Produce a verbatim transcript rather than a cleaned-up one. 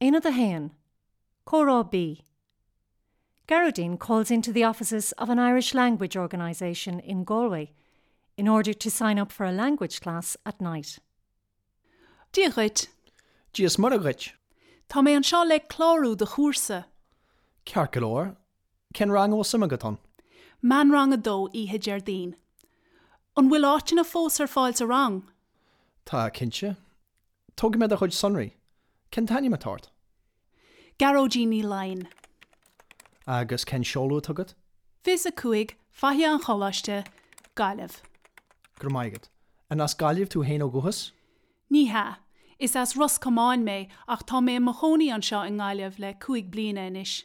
Aonad a haon, Comhrá B. Gearóidín calls into the offices of an Irish language organisation in Galway in order to sign up for a language class at night. Dia dhuit, Dia is Muire dhuit, Tá mé anseo le clárú do chúrsa, Ceart go leor, cén rang a bhfuil suim agat ann? Meánrang a dó oíche Déardaoin. An bhfuil áiteanna fós ar fáil sa rang? Tá cinnte. Tógfaidh mé do chuid sonraí, Cén t-ainm atá ort? Gearóidín Ní Laighin. Agus cén seoladh atá agat? Fiche a cúig, Faiche an Choláiste, Gaillimh. Go raibh maith agat. An as Gaillimh tú féin ó dhúchas? Ní hea, is as Ros Comáin mé ach tá mé i mo chónaí anseo i nGaillimh le cúig bliana anois.